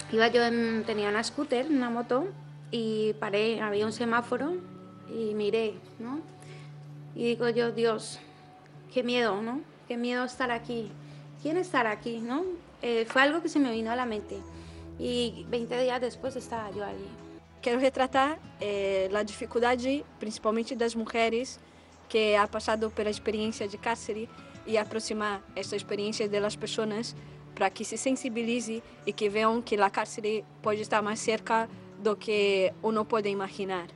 tenía una scooter, una moto, y paré, había un semáforo y miré, ¿no? Y digo yo, Dios, qué miedo, ¿no? Qué miedo estar aquí. ¿Quién estar aquí, no? Fue algo que se me vino a la mente. Y 20 días después estaba yo allí. Quero retratar a dificuldade, principalmente das mulheres, que ha passado pela experiência de cárcere e aproximar essa experiência das pessoas para que se sensibilize e que vejam que a cárcere pode estar mais cerca do que uno pode imaginar.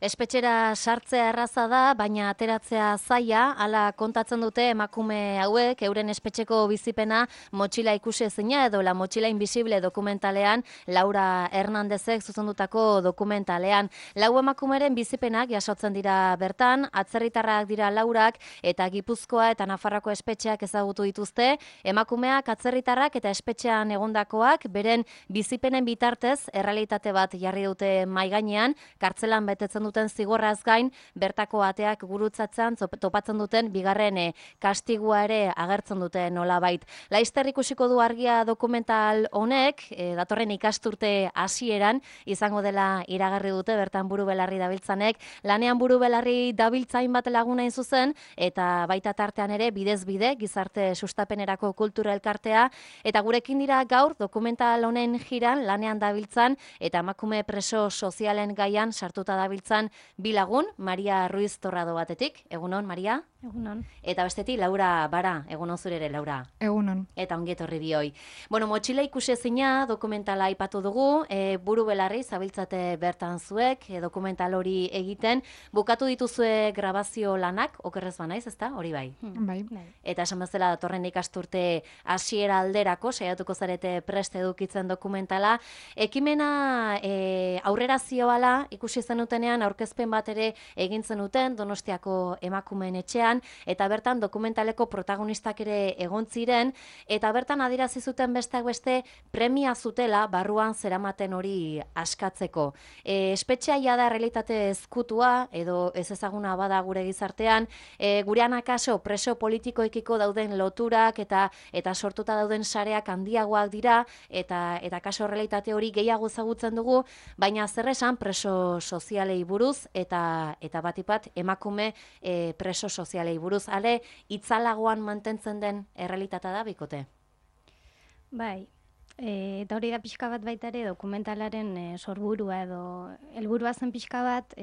Espetxera sartzea erraza da, baina ateratzea zaila, hala kontatzen dute emakume hauek, euren espetxeko bizipena motxila ikusi ezina edo La Motxila Invisible dokumentalean, Laura Hernandezek zuzendutako dokumentalean. Lau emakumeren bizipenak jasotzen dira bertan, atzerritarrak dira laurak eta Gipuzkoa eta Nafarroako espetxeak ezagutu dituzte, emakumeak atzerritarrak eta espetxean egondakoak beren bizipenen bitartez errealitate bat jarri dute mahai gainean, kartzelan betetzen duten zigorraz gain, bertako ateak gurutzatzen topatzen duten bigarren kastigua ere agertzen dute nolabait. Laizter ikusiko du argia dokumental honek, datorren ikasturte hasieran izango dela iragarri dute bertan buru belarri dabiltzanek, lanean buru belarri dabiltzain bat lagunain zuzen, eta baita tartean ere bidez bide, gizarte sustapenerako kultura elkartea, eta gurekin dira gaur dokumental honen jiran lanean dabiltzan, eta emakume preso sozialen gaian sartuta dabiltzan bi lagun, Maria Ruiz Torrado batetik. Egunon, Maria? Egunon. Eta bestetik, Laura Bara. Egunon zure ere, Laura? Egunon. Eta ongi etorri bioi. Bueno, Motxila ikusezina dokumentala aipatu dugu, buru belarri zabiltzate bertan zuek, dokumental hori egiten. Bukatu dituzue grabazio lanak, okerrez banaiz, ezta? Hori bai. Bai. Eta esan bezala datorren ikasturte hasiera alderako, saiatuko zarete prest edukitzen dokumentala. Ekimena aurrera zioala, ikusi zenutenean aurkezpen bat ere egin zenuten Donostiako emakumeen etxean, eta bertan dokumentaleko protagonistak ere egon ziren, eta bertan adierazi zuten besteak beste premia zutela barruan zeramaten hori askatzeko. Espetxea da realitate ezkutua, edo ez ezaguna bada gure gizartean, gurean akaso preso politikoekiko dauden loturak eta sortuta dauden sareak handiagoak dira, eta kaso realitate hori gehiago ezagutzen dugu, baina zer esan preso sozialei buruz, eta batipat emakume preso sozialei buruz. Ale, itzalagoan mantentzen den errealitatea da, bikote? Bai, eta hori da pixka bat baita ere dokumentalaren sorburua edo helburua zen pixka bat,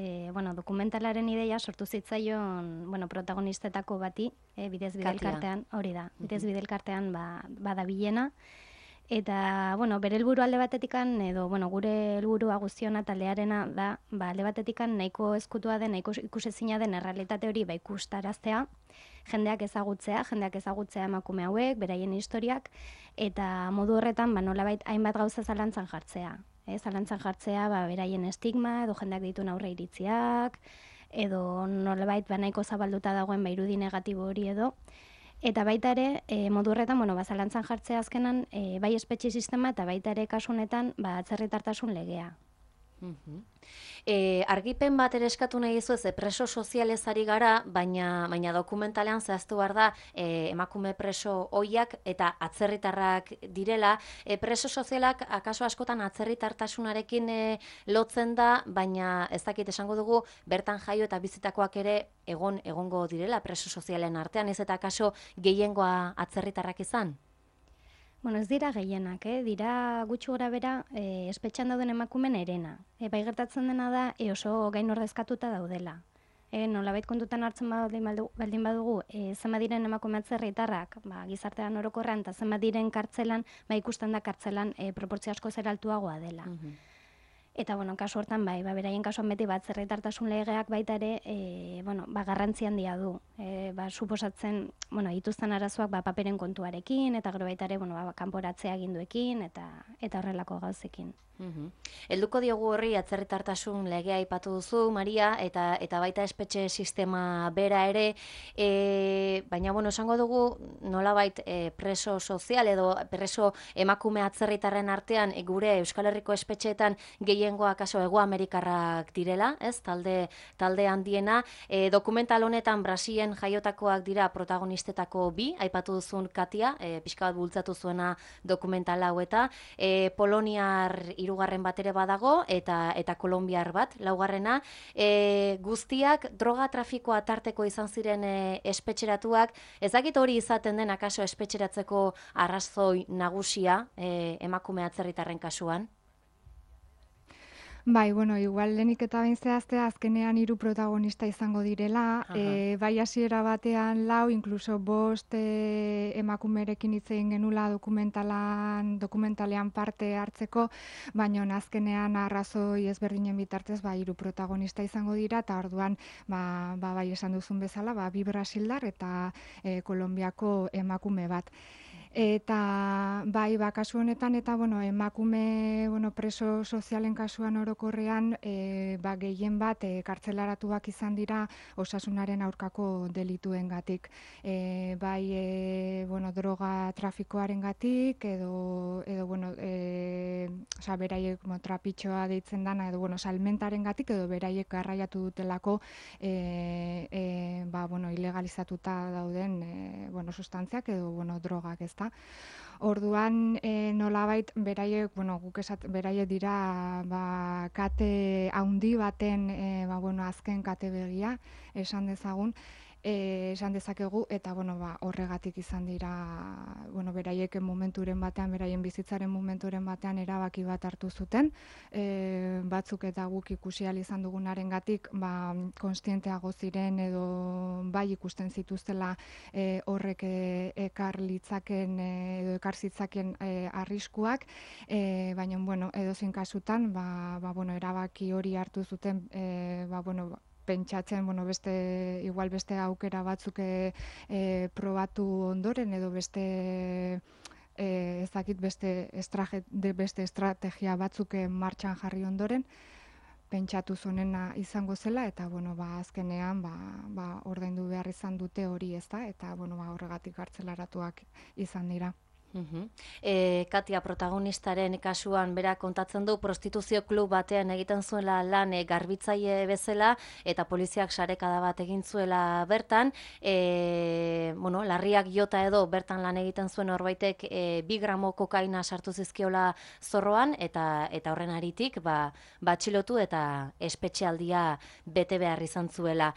dokumentalaren ideia sortu zitzaion protagonistetako bati, bidez bide elkartean, hori da, bidez bide elkartean badabilena. Eta, bere helburu alde batetikan, edo, gure helburua guztiona taldearena da, alde batetikan nahiko ezkutua den, nahiko ikusezina den errealitate hori ikustaraztea, jendeak ezagutzea emakume hauek, beraien historiak, eta modu horretan, nolabait hainbat gauza zalantzan jartzea. Zalantzan jartzea, beraien estigma, edo jendeak dituen aurre iritziak, edo nolabait nahiko zabalduta dagoen irudi negatibo hori edo, eta baita ere, modu horretan, zalantzan jartzea azkenan, bai espetxe sistema eta baita ere kasu honetan, atzerritartasun legea. Argipen bat ere eskatu nahi dizu ez, preso sozialez ari gara, baina dokumentalean zehaztu behar da emakume preso ohiak eta atzerritarrak direla. Preso sozialak akaso askotan atzerritartasunarekin lotzen da, baina ez dakit esango dugu bertan jaio eta bizitakoak ere egongo direla preso sozialen artean, ez eta akaso gehiengoa atzerritarrak izan? Ez dira gehienak, dira gutxi gora bera espetxan dauden emakumen erena. Bai gertatzen dena da oso gain ordezkatuta daudela. Nolabait kontutan hartzen baldin badugu, zenbat diren emakume atzerritarrak gizartean orokorrean eta zenbat diren kartzelan, ikusten da kartzelan proportzio asko zer altuagoa dela. Eta, kasu hortan, beraien kasuan beti atzerritartasun legeak baita ere, garrantzi handia du. Suposatzen, dituzten arazoak paperen kontuarekin, eta gero baita ere, kanporatzea aginduekin, eta horrelako gauzekin. Helduko diogu horri atzerritartasun legea aipatu duzu, Maria, eta baita espetxe sistema bera ere, baina, esango dugu nolabait preso sozial edo preso emakume atzerritarren artean gure Euskal Herriko espetxeetan gehiengoa kaso Hego Amerikarrak direla, ez? Talde handiena. Dokumental honetan Brasilen jaiotakoak dira protagonistetako bi, aipatu duzun Katia, pixka bat bultzatu zuena dokumental hau eta Poloniar hirugarren bat ere badago eta kolonbiar bat, laugarrena. Guztiak droga trafikoa tarteko izan ziren espetxeratuak. Ez dakit hori izaten den akaso espetxeratzeko arrazoi nagusia emakume atzerritarren kasuan? Bai, igual lehenik eta behin zehaztea azkenean 3 protagonista izango direla, bai hasiera batean 4, inkluso 5 emakumerekin hitz egin genula dokumentalean parte hartzeko, baina azkenean arrazoi ezberdinen bitartez 3 protagonista izango dira, eta orduan bai esan duzun bezala, 2 brasildar eta Kolonbiako emakume bat. Eta bai, kasu honetan, eta emakume preso sozialen kasuan orokorrean gehien bat kartzelaratuak izan dira osasunaren aurkako delituengatik. Bai, droga trafikoarengatik edo beraiek trapitxoa deitzen dana, edo salmentarengatik edo beraiek garraiatu dutelako ilegalizatuta dauden sustantziak edo drogak, ez. Orduan, nolabait, beraiek dira kate haundi baten, azken kate begia, esan dezagun, esan dezakegu, eta horregatik izan dira, beraiek beraien bizitzaren momenturen batean erabaki bat hartu zuten, batzuk eta guk ikusi ahal izan dugunarengatik konstienteago ziren edo bai ikusten zituztela horrek ekar zitzaken arriskuak, baina edozein kasutan erabaki hori hartu zuten pentsatzen, beste aukera batzuk probatu ondoren edo beste estrategia batzuk martxan jarri ondoren, pentsatu zonena izango zela, eta azkenean ordaindu behar izan dute hori, ez da, eta horregatik kartzelaratuak izan dira. Katia protagonistaren kasuan bera kontatzen du prostituzio klub batean egiten zuela lan garbitzaile bezala eta poliziak sarekada bat egin zuela bertan, larriak jota edo bertan lan egiten zuen horbaitek 2 gramo kokaina sartu zizkiola zorroan eta horren aritik atxilotu eta espetxealdia bete behar izan zuela.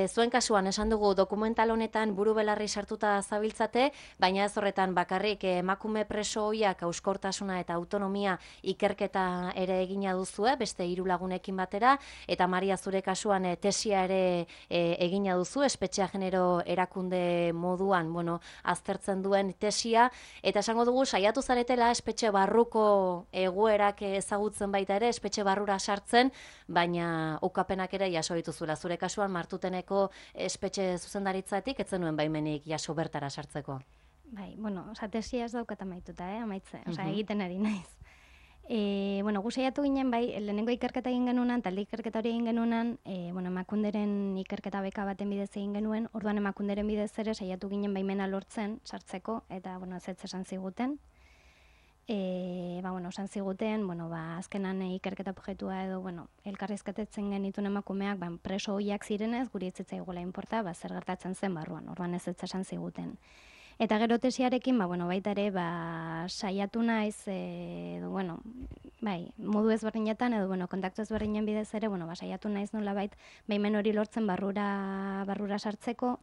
Zuen kasuan esan dugu dokumental honetan buru belarri sartuta zabiltzate, baina ez horretan bakarrik emakume preso hoiak euskortasuna eta autonomia ikerketa ere egina duzue, beste 3 lagunekin batera, eta Maria zure kasuan tesia ere egina duzu, espetxea genero erakunde moduan, aztertzen duen tesia, eta esango dugu saiatu zaretela espetxe barruko egoerak ezagutzen baita ere, espetxe barrura sartzen, baina ukapenak ere jaso dituzula. Zure kasuan Martuteneko espetxe zuzendaritzatik ez zenuen baimenik jaso bertara sartzeko. Bai, tesia ez daukat amaituta, egiten ari naiz. Gu saiatu ginen, lehenengo ikerketa egin genunan, talde ikerketa hori egin genunan, Emakunderen ikerketa beka baten bidez egin genuen, orduan Emakunderen bidez ere saiatu ginen baimena lortzen sartzeko, eta, ez esan ziguten. Esan ziguten, azkenan ikerketa objektua edo, elkarrizketetzen genituen emakumeak, preso hoiak zirenez, guri ez zitzaigula inporta, zer gertatzen zen barruan, orduan ez esan ziguten. Eta gero tesiarekin, baita ere, saiatu naiz, modu ezberdinetan, edo, kontaktu ezberdinen bidez ere, saiatu naiz nolabait, baimen hori lortzen barrura sartzeko,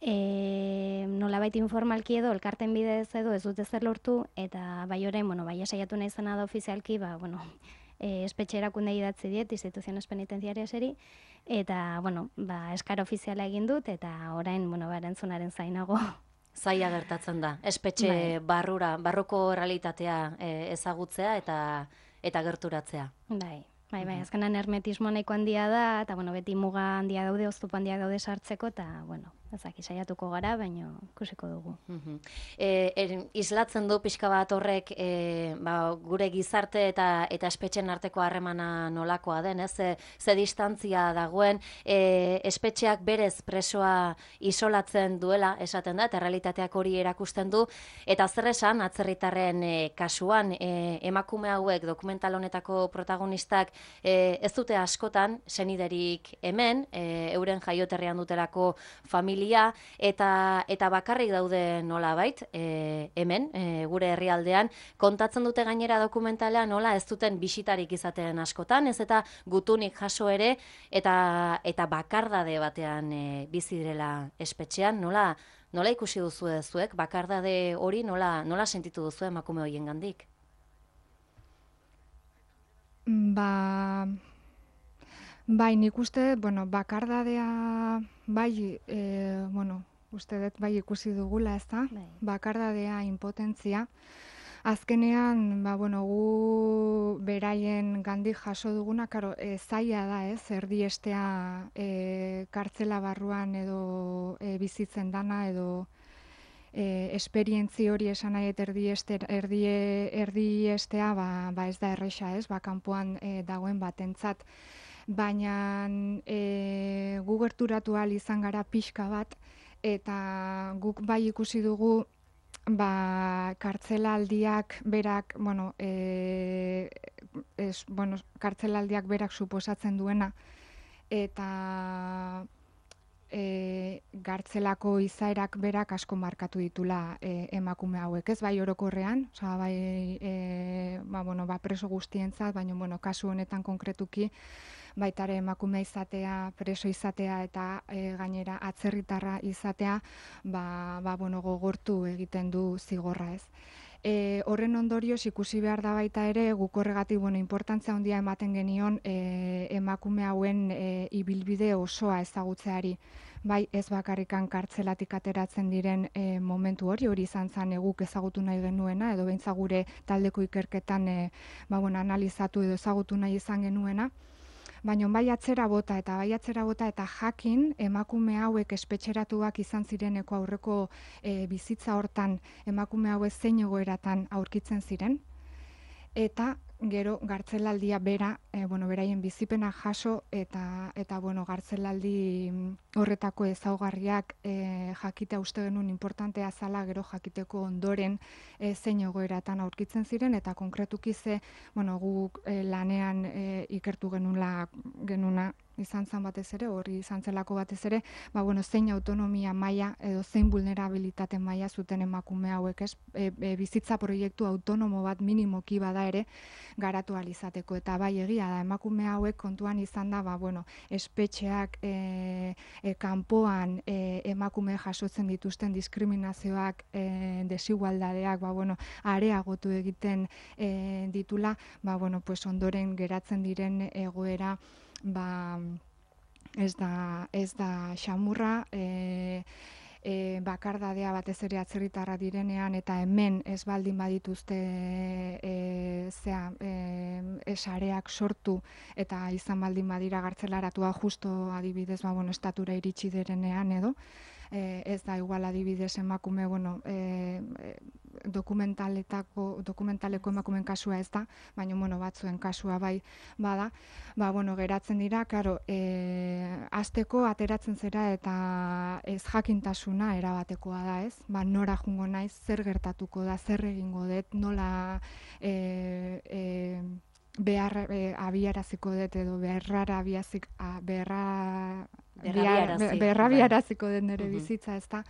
nolabait informalki edo, elkarten bidez edo, ez dut ezer lortu, eta bai orain, saiatu naizena da ofizialki, espetxe erakunde idatzi diet, instituziones penitenziariaseri, eta, eskar ofiziala egin dut, eta orain, erantzunaren zainago. Zaila gertatzen da, espetxe barruko realitatea ezagutzea eta gerturatzea. Bai, azkenan hermetismo nahiko handia da, eta beti muga handia daude, oztopo handia daude sartzeko, eta Ezaki saiatuko gara, baina ikusiko dugu. Islatzen du pixka bat horrek gure gizarte eta espetxen arteko harremana nolakoa den, ez? Ze distantzia dagoen, espetxeak berez presoa isolatzen duela, esaten da, eta realitateak hori erakusten du, eta zer esan atzerritarren kasuan, emakume hauek dokumental honetako protagonistak ez dute askotan, seniderik hemen, euren jaioterrian dutelako familia, eta bakarrik daude nolabait, hemen, gure herrialdean, kontatzen dute gainera dokumentalean nola ez duten bisitarik izaten askotan, ez eta gutunik jaso ere, eta bakardade batean bizi direla espetxean, nola ikusi duzu zuek, bakardade hori nola sentitu duzu emakume horien gandik? Bai, nik uste, bakardadea, uste dut bai ikusi dugula, ez da? Bakardadea, impotentzia. Azkenean, gu beraien gandik jaso duguna, zaila da, ez? Erdiestea kartzela barruan edo bizitzen dana, edo esperientzi hori esan nahi erdiestea, ez da erresa, ez? Kanpoan dagoen batentzat. Baina gu gerturatu ahal izan gara pixka bat, eta guk bai ikusi dugu kartzelaldiak berak, kartzelaldiak berak suposatzen duena, eta gartzelako izaerak berak asko markatu ditula emakume hauek, ez bai orokorrean, preso guztientzat, baina kasu honetan konkretuki, baitare emakume izatea, preso izatea eta gainera atzerritarra izatea, gogortu egiten du zigorra, ez. Horren ondorioz ikusi behar da baita ere, guk horregatik inportantzia handia ematen genion emakume hauen ibilbide osoa ezagutzeari. Bai, ez bakarrikan kartzelatik ateratzen diren momentu hori izan zen guk ezagutu nahi genuena, edo behintzat gure taldeko ikerketan analizatu edo ezagutu nahi izan genuena. Baina bai atzera bota eta jakin emakume hauek espetxeratuak izan zireneko aurreko bizitza hortan emakume hauek zein egoeratan aurkitzen ziren. Eta gero gartzelaldia beraien bizipena jaso eta gartzelaldi horretako ezaugarriak jakitea uste genuen importantea zala gero jakiteko ondoren zein egoeratan aurkitzen ziren eta konkretuki guk lanean ikertu genuna izan zen batez ere, hori izan zelako batez ere, zein autonomia maila edo zein vulnerabilitate maila zuten emakume hauek, ez? Bizitza proiektu autonomo bat minimoki bada ere garatu ahal izateko, eta bai egia da emakume hauek kontuan izan da, espetxeak kanpoan emakume jasotzen dituzten diskriminazioak, desigualdadeak, areagotu egiten ditula, ondoren geratzen diren egoera ez da xamurra, bakardadea batez ere atzerritarra direnean eta hemen ez baldin badituzte sareak sortu eta izan baldin badira gartzelaratua justo adibidez estatura iritsi direnean edo ez da igual adibidez emakume dokumentaleko emakumeen kasua ez da, baina batzuen kasua bai bada, geratzen dira, hasteko ateratzen zera eta ez jakintasuna erabatekoa da, ez? Nora jungo naiz, zer gertatuko da, zer egingo dut, nola abiaraziko dut edo berrabiaraziko dut nire bizitza, ez da?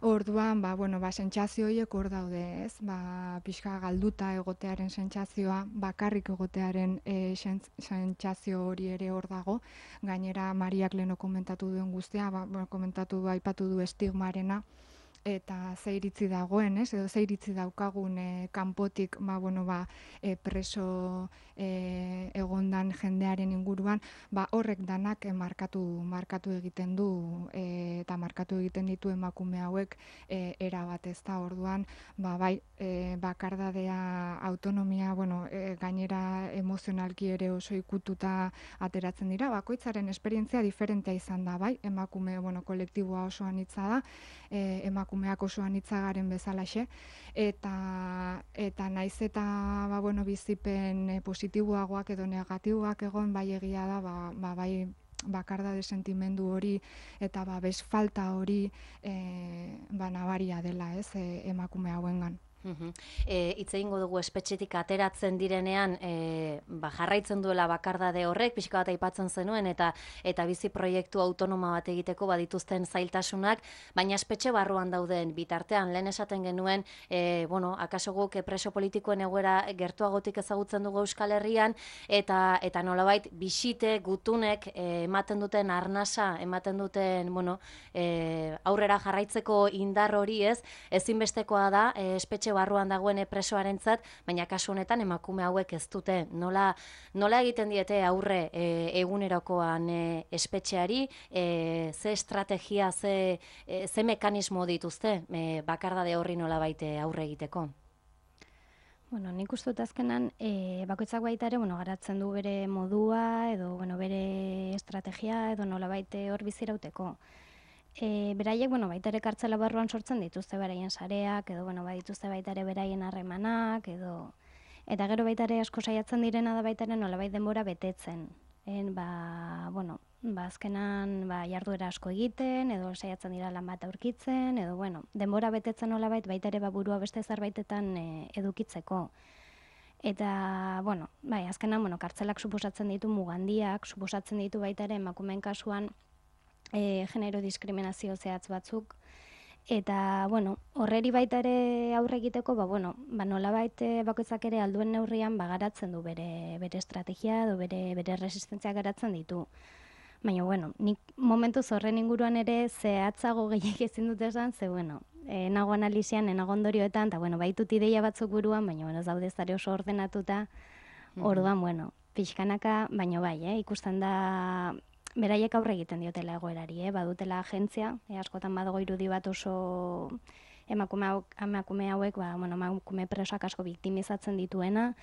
Orduan, sentsazio horiek hor daude, ez? Pixka galduta egotearen sentsazioa, bakarrik egotearen sentsazio hori ere hor dago. Gainera, Mariak leheno komentatu duen guztia, aipatu du estigmarena, eta ze iritzi dagoen, edo ze iritzi daukagun kanpotik preso egondan jendearen inguruan, horrek danak markatu egiten du eta markatu egiten ditu emakume hauek erabat, ez da. Orduan, bai, bakardadea, autonomia, gainera emozionalki ere oso ikututa ateratzen dira, bakoitzaren esperientzia diferentea izan da, bai, emakume, kolektiboa oso anitza da, emakumeak oso anitza garen bezalaxe, eta naiz eta bizipen positiboagoak edo negatiboak egon, bai egia da, bai bakardade sentimendu hori eta babes falta hori nabaria dela, ez, emakume hauengan. Hitz egingo dugu espetxetik ateratzen direnean jarraitzen duela bakardade horrek, pixka bat aipatzen zenuen, eta bizi proiektu autonoma bat egiteko badituzten zailtasunak, baina espetxe barruan dauden bitartean, lehen esaten genuen, akaso guk preso politikoen egoera gertuagotik ezagutzen dugu Euskal Herrian, eta nolabait bisite, gutunek ematen duten arnasa, ematen duten aurrera jarraitzeko indar hori, ez, ezinbestekoa da espetxe barruan dagoen presoarentzat, baina kasu honetan emakume hauek ez dute. Nola egiten diete aurre egunerokoan espetxeari, ze estrategia, ze mekanismo dituzte bakardade horri nolabait aurre egiteko? Nik uste dut azkenan, bakoitzak baita ere, garatzen du bere modua, edo bere estrategia, edo nolabait hor bizirauteko. Beraiek, baita ere kartzela barruan sortzen dituzte beraien sareak, edo badituzte baita ere beraien harremanak, eta gero baita ere asko saiatzen direna da baita ere nolabait denbora betetzen. Azkenan jarduera asko egiten, edo saiatzen dira lan bat aurkitzen, edo denbora betetzen nolabait baita ere burua beste zerbaitetan edukitzeko. Eta, azkenan, kartzelak suposatzen ditu mugandiak, suposatzen ditu baita ere emakumeen kasuan genero diskriminazio zehatz batzuk, eta, horreri baita ere aurre egiteko, nolabait bakoitzak ere alduen neurrian garatzen du bere estrategia edo bere resistentzia garatzen ditu. Baina, nik momentuz horren inguruan ere zehatzago gehiak ezin dut esan, ze, nago analizian, nago ondorioetan, eta, baitut ideia batzuk buruan, baina, ez daude zare oso ordenatuta, orduan, pixkanaka, baina bai, ikusten da, beraiek aurre egiten diotela egoerari, badutela agentzia, askotan badago irudi bat oso emakume hauek, emakume presoak asko biktimizatzen dituena,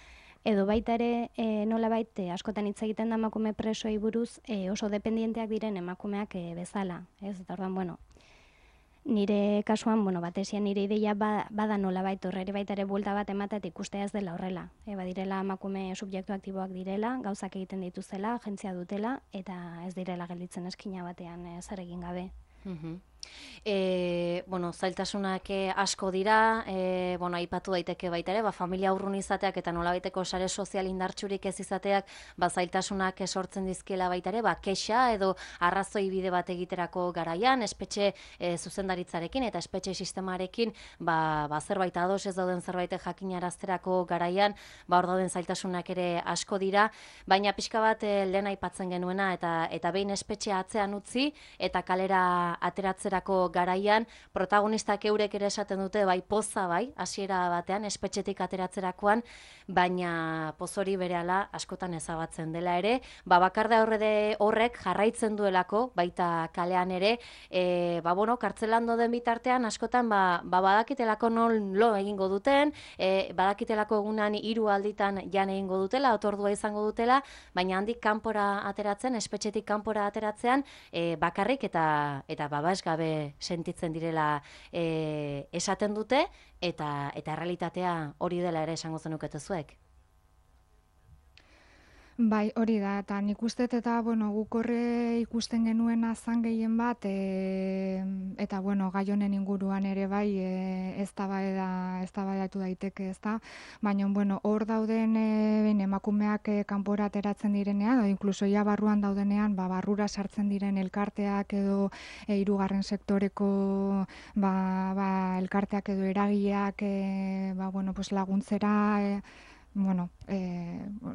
edo baita ere nolabait askotan hitz egiten da emakume presoei buruz oso dependienteak diren emakumeak bezala, ez? Eta orduan, nire kasuan, batesian nire ideia bada nolabait horreri baita ere buelta bat ematea ikustea ez dela horrela. Badirela emakume subjektu aktiboak direla, gauzak egiten dituzela, agentzia dutela, eta ez direla gelditzen eskina batean zer egin gabe. Zailtasunak asko dira, aipatu daiteke baita ere, familia urrun izateak eta nolabaiteko sare sozial indartsurik ez izateak, zeiltasunak sortzen dizkiela baita ere, kexa edo arrazoi bide bat egiterako garaian, espetxe zuzendaritzarekin eta espetxe sistemarekin, zerbait ados ez dauden zerbait jakinarazterako garaian, hor dauden zailtasunak ere asko dira, baina pixka bat lehen aipatzen genuena eta behin espetxea atzean utzi eta kalera ateratzerako garaian, protagonistak eurek ere esaten dute, poza hasiera batean, espetxetik ateratzerakoan, baina poz hori berehala askotan ezabatzen dela ere, bakarda horrek jarraitzen duelako, baita kalean ere, kartzelan doden bitartean, askotan badakitelako non lo egingo duten, badakitelako egunan 3 alditan jan egingo dutela, otordua izango dutela, baina handik kanpora ateratzen, espetxetik kanpora ateratzean, bakarrik eta babes gabe sentitzen direla esaten dute, eta errealitatea hori dela ere esango zenukete zuek. Bai, hori da, eta nik uste eta, guk horre ikusten genuen azan gehien bat, eta, gai honen inguruan ere bai, eztabaidatu daiteke, ez da, baina, hor dauden emakumeak kanpora ateratzen direnean, edo inkluso ja barruan daudenean, barrura sartzen diren elkarteak edo hirugarren sektoreko elkarteak edo eragileak laguntzera,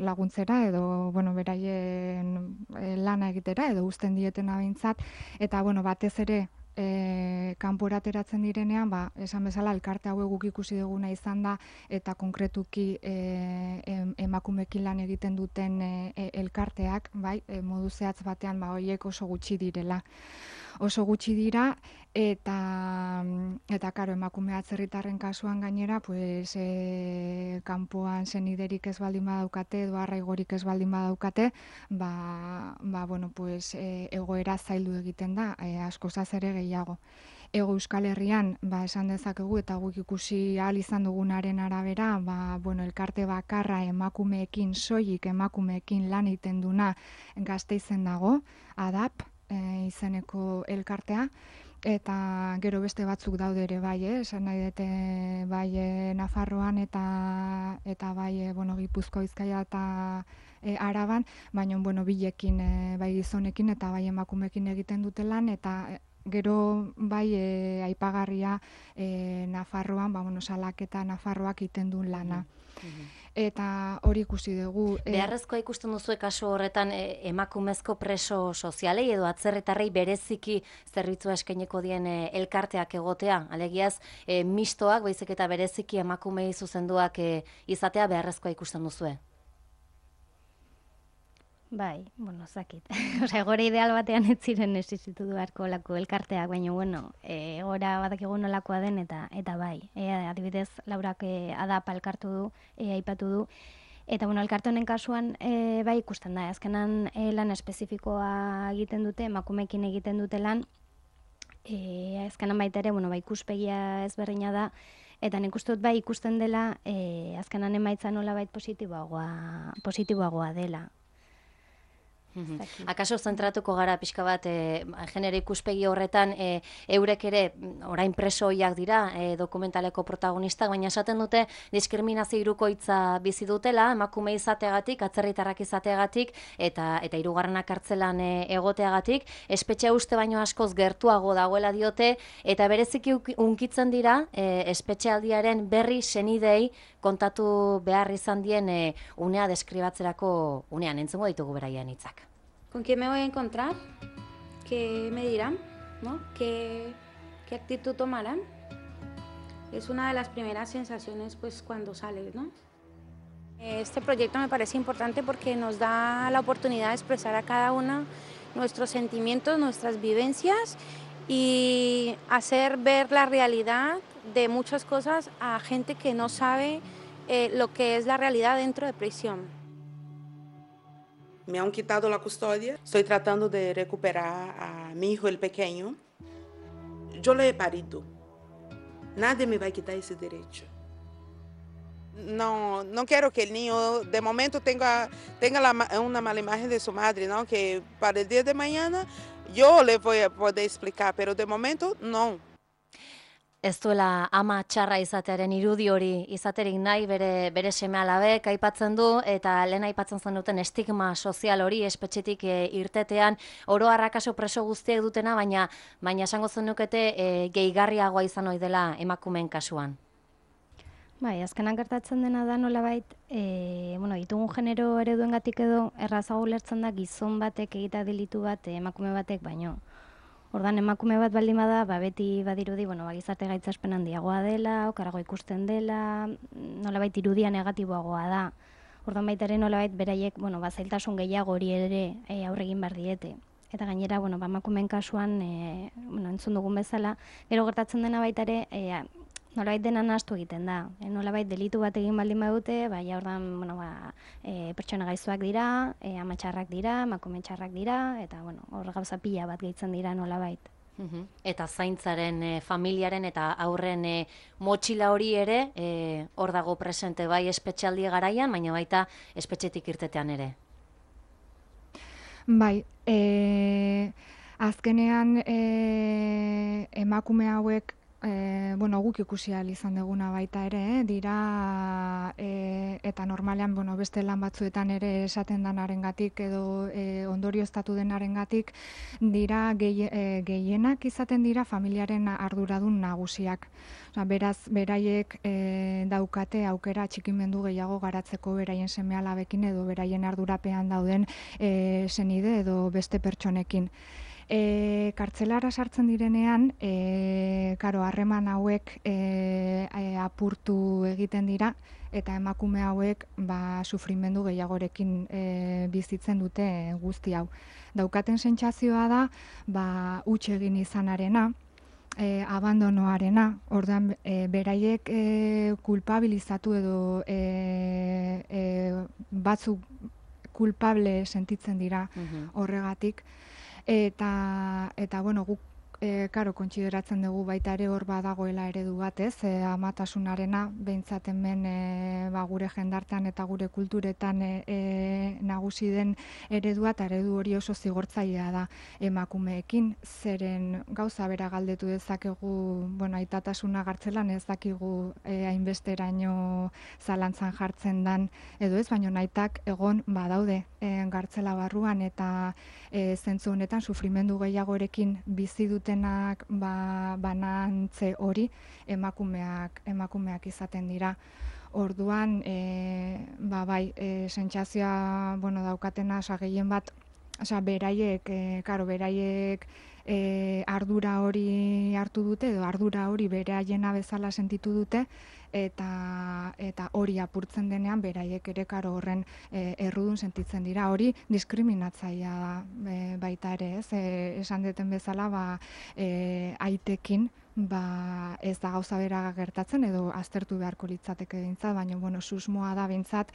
laguntzera edo beraien lana egitera edo uzten dietena behintzat, eta batez ere kanpora ateratzen direnean, esan bezala, elkarte hauek guk ikusi duguna izan da, eta konkretuki emakumekin lan egiten duten elkarteak, bai, modu zehatz batean, horiek oso gutxi direla. Oso gutxi dira, eta karo, emakume atzerritarren kasuan gainera, pues, kanpoan seniderik ez baldin badaukate, edo arraigorik ez baldin badaukate, bueno, pues, egoera zaildu egiten da, askozaz ere gehiago. Ego Euskal Herrian, esan dezakegu, eta guk ikusi ahal izan dugunaren arabera, bueno, elkarte bakarra emakumeekin, soilik emakumeekin lan egiten duna Gasteizen dago, ADAP, izeneko elkartea, eta gero beste batzuk daude ere bai, esan nahi dute bai Nafarroan eta bai, bueno, Gipuzkoa, Bizkaia eta Araban, baina, bueno, bilekin, bai gizonekin eta bai emakumeekin egiten dute lan, eta gero bai aipagarria Nafarroan, bueno, Salaketa Nafarroak egiten duen lana. Eta hori ikusi dugu. Beharrezkoa ikusten duzu kasu horretan emakumezko preso sozialei edo atzerritarrei bereziki zerbitzua eskainiko dien elkarteak egotea. Alegiaz, mistoak, baizik eta bereziki emakumei zuzenduak izatea beharrezkoa ikusten duzue. Bai, bueno, zakit. Osea, gora ideal batean ez ziren existitu beharko lako elkarteak, baina, bueno, gora badakigu nolakoa den eta bai. Adibidez, Laurak ADAP elkartu du, aipatu du. Eta, bueno, elkarte honen kasuan, bai ikusten da, azkenan lan espezifikoa egiten dute, emakumeekin egiten dute lan, azkenan baita ere, bueno, bai ikuspegia ezberdina da, eta nik uste dut bai ikusten dela, azkenan emaitza nolabait positiboagoa dela. Akaso zentratuko gara pixka bat genero ikuspegi horretan eurek ere orain presoiak dira dokumentaleko protagonistak, baina esaten dute diskriminazio hirukoitza bizi dutela, emakume izateagatik, atzerritarrak izateagatik eta hirugarrenak kartzelan egoteagatik, espetxe uste baino askoz gertuago dagoela diote, eta bereziki unkitzen dira espetxealdiaren berri senidei kontatu behar izan dien unea deskribatzerako unean, entzungo ditugu beraien hitzak. ¿Con quién me voy a encontrar? ¿Qué me dirán? ¿No? ¿Qué actitud tomarán? Es una de las primeras sensaciones pues cuando sales, ¿no? Este proyecto me parece importante porque nos da la oportunidad de expresar a cada una nuestros sentimientos, nuestras vivencias y hacer ver la realidad de muchas cosas a gente que no sabe lo que es la realidad dentro de prisión. Me han quitado la custodia. Estoy tratando de recuperar a mi hijo, el pequeño. Yo lo he parido. Nadie me va a quitar ese derecho. No quiero que el niño de momento tenga una mala imagen de su madre, ¿no? Que para el día de mañana yo le voy a poder explicar, pero de momento no. Ez duela ama txarra izatearen irudi hori izaterik nahi bere seme-alabek aipatzen du, eta lehen aipatzen zen duten estigma sozial hori espetxetik irtetean, oro harrakaso preso guztiek dutena, baina esango zenukete gehigarriagoa izan ohi dela emakumeen kasuan. Bai, azkenan gertatzen dena da nolabait, ditugun genero ereduengatik edo errazago ulertzen da gizon batek egita delitu bat emakume batek baino. Ordan emakume bat baldin bada, beti badirudi, gizarte gaitzespen handiagoa dela, okarago ikusten dela, nolabait irudia negatiboagoa da. Ordan baita ere nolabait beraiek, zailtasun gehiago hori ere aurre egin behar diete. Eta gainera, emakumeen kasuan, entzun dugun bezala, gero gertatzen dena baita ere, nolabait dena nahastu egiten da. Nolabait delitu bat egin baldin badute, ordan, pertsona gaiztuak dira, amatxarrak dira, emakume txarrak dira, eta, hor gauza pila bat gehitzen dira nolabait. Eta zaintzaren, familiaren eta aurren motxila hori ere, hor dago presente bai espetxealdi garaian, baina baita espetxetik irtetean ere. Bai, azkenean emakume hauek guk ikusi ahal izan duguna baita ere, dira, eta normalean, beste lan batzuetan ere esaten danarengatik edo ondorioztatu denarengatik, dira gehienak izaten dira familiaren arduradun nagusiak. Beraz, beraiek daukate aukera txikimendu gehiago garatzeko beraien seme-alabekin edo beraien ardurapean dauden senide edo beste pertsonekin. Kartzelara sartzen direnean, karo, harreman hauek apurtu egiten dira, eta emakume hauek sufrimendu gehiagorekin bizitzen dute guzti hau. Daukaten sentsazioa da, huts egin izanarena, abandonoarena, orduan beraiek kulpabilizatu edo batzuk kulpable sentitzen dira horregatik, eta bueno, guk kontsideratzen dugu baita ere hor badagoela eredu bat, ez? Amatasunarena, behintzat hemen gure jendartean eta gure kulturetan nagusi den eredua, eta eredu hori oso zigortzailea da emakumeekin, zeren gauza bera galdetu dezakegu, bueno, aitatasuna gartzelan ez dakigu hainbesteraino zalantzan jartzen dan, edo ez, baina aitak egon badaude gartzela barruan, eta zentzu honetan sufrimendu gehiagorekin bizi dutenak banantze hori emakumeak izaten dira. Orduan, sentsazioa daukatena, gehien bat, beraiek ardura hori hartu dute, edo ardura hori beraiena bezala sentitu dute, eta hori apurtzen denean beraiek ere horren errudun sentitzen dira. Hori diskriminatzailea da baita ere, ez? Esan duten bezala, aitekin ez da gauza bera gertatzen, edo aztertu beharko litzateke behintzat, baina susmoa da behintzat,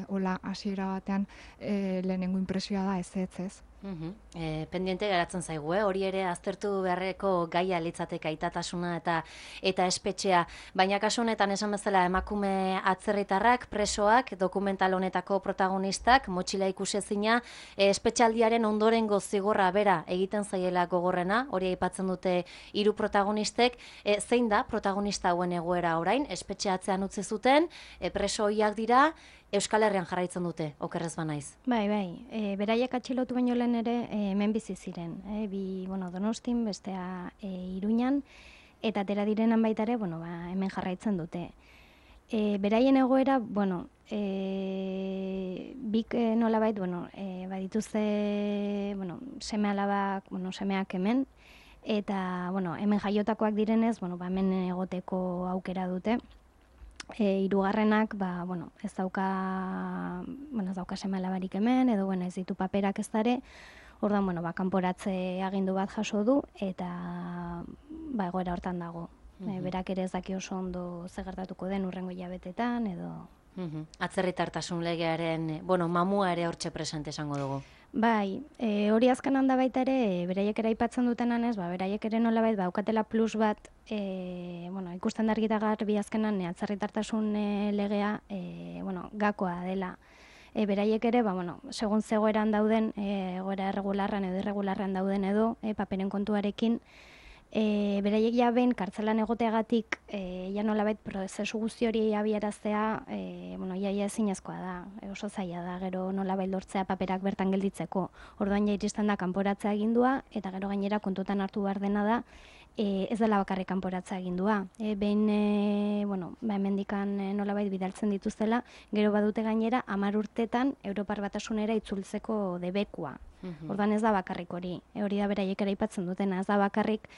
hola hasiera batean lehenengo impresioa da ez. Pendiente geratzen zaigu, hori ere aztertu beharreko gaia litzateke aitatasuna eta espetxea, baina kasu honetan esan bezala emakume atzerritarrak, presoak, dokumental honetako protagonistak, motxila ikusezina, espetxaldiaren ondorengo zigorra bera egiten zaiela gogorrena, hori aipatzen dute 3 protagonistek, zein da protagonista hauen egoera orain, espetxeatzean utzi zuten, preso hoiak dira, Euskal Herrian jarraitzen dute, okerrez banaiz. Bai, beraiek atxilotu baino lehen ere hemen bizi ziren. Bi, Donostin, bestea Iruñan, eta atera direnan baita ere, hemen jarraitzen dute. Beraien egoera, bik nolabait, badituzte, semeak hemen, eta, hemen jaiotakoak direnez, hemen egoteko aukera dute. Hirugarrenak, ez dauka seme-alabarik hemen, edo ez ditu paperak ez dare, orduan, kanporatze agindu bat jaso du, eta egoera hortan dago. Berak ere ez daki oso ondo zegertatuko den urrengo hilabetetan, edo... Atzerritartasun legearen, mamua ere hortxe presente esango dugu. Bai, hori azken handa baita ere, beraiek ere aipatzen dutenan ez, beraiek ere nolabait daukatela plus bat, ikusten da argi eta garbi azkenan atzerritartasun legea, gakoa dela. Beraiek ere, segun zegoeran dauden, egoera erregularran edo irregularran dauden edo, paperen kontuarekin, beraiek ja behin kartzelan egoteagatik, nolabait prozesu guzti hori abiaraztea, iaia ezinezkoa da, oso zaila da, gero nolabait lortzea paperak bertan gelditzeko. Orduan ja iristen da kanporatzea agindua, eta gero gainera kontutan hartu behar dena da, ez dela bakarrik kanporatzea agindua. Behin, hemendikan nolabait bidaltzen dituztela, gero badute gainera 10 urtetan Europar Batasunera itzultzeko debekua. Orduan ez da bakarrik hori. Hori da beraiek ere aipatzen dutena, ez da bakarrik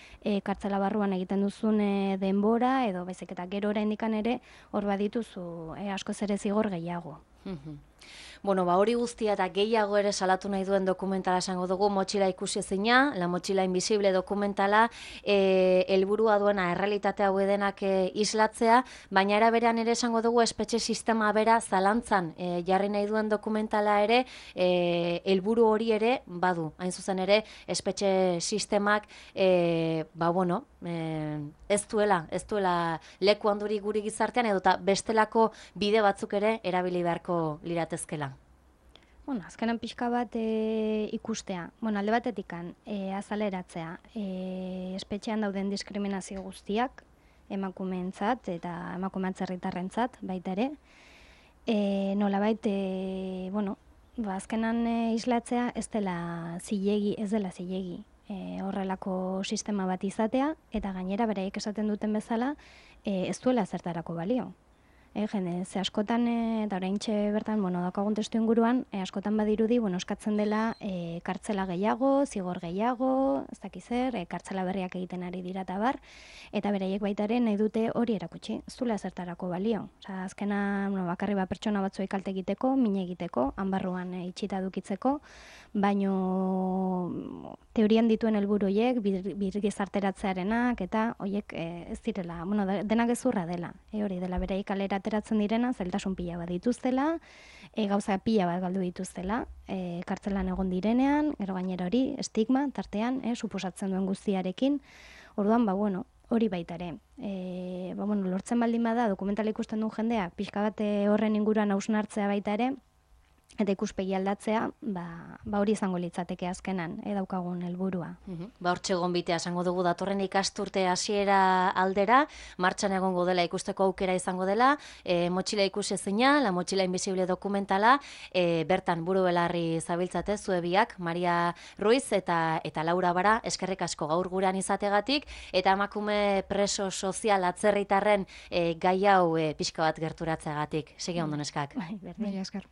kartzela barruan egiten duzun denbora, edo baizik eta gero oraindikan ere hor badituzu askoz ere zigor gehiago. Hori guztia eta gehiago ere salatu nahi duen dokumentala esango dugu, Motxila ikusezina, La Motxila Invisible dokumentala, helburua duena errealitate hau denak islatzea, baina era berean ere esango dugu espetxe sistema bera zalantzan jarri nahi duen dokumentala ere, helburu hori ere badu. Hain zuzen ere, espetxe sistemak, ez duela leku handuri guri gizartean, edota bestelako bide batzuk ere erabili beharko liratezkela. Azkenan pixka bat ikustea. Alde batetikan, azaleratzea, espetxean dauden diskriminazio guztiak, emakumeentzat eta emakume atzerritarrentzat baita ere. Nolabait, azkenan islatzea ez dela zilegi horrelako sistema bat izatea, eta gainera beraiek esaten duten bezala ez duela zertarako balio. Jende, ze askotan, eta oraintxe bertan, daukagun testu inguruan, askotan badirudi, eskatzen dela kartzela gehiago, zigor gehiago, ez dakiz zer, kartzela berriak egiten ari dira eta bar, eta beraiek baitaren nahi dute hori erakutsi, ez duela zertarako balio. Osa, azkena, bakarri pertsona batzuei kalte egiteko, min egiteko, hanbarruan itxita dukitzeko, baino teorian dituen helburu horiek, birgizarteratzearenak, eta horiek ez direla, denak gezurra dela, hori dela beraiek kalera ateratzen direna, zailtasun pila bat dituztela, gauza pila bat galdu dituztela, kartzelan egon direnean, gero gainera hori, estigma, tartean, suposatzen duen guztiarekin, orduan, hori baita ere. Lortzen baldin bada, dokumentala ikusten duen jendea, pixka bat horren inguruan hausnartzea baita ere, eta ikuspegi aldatzea, hori izango litzateke azkenan, daukagun helburua. Hortxe gonbitea esango dugu datorren ikasturte hasiera aldera, martxan egongo dela ikusteko aukera izango dela, motxila ikusezina, La Mochila Invisible dokumentala, bertan buru belarri zabiltzate, zue biak, Maria Ruiz eta Laura Bara, eskerrik asko gaur guran izategatik, eta emakume preso sozial atzerritarren gai hau pixka bat gerturatzeagatik. Segi ondo neskak. Bai, esker.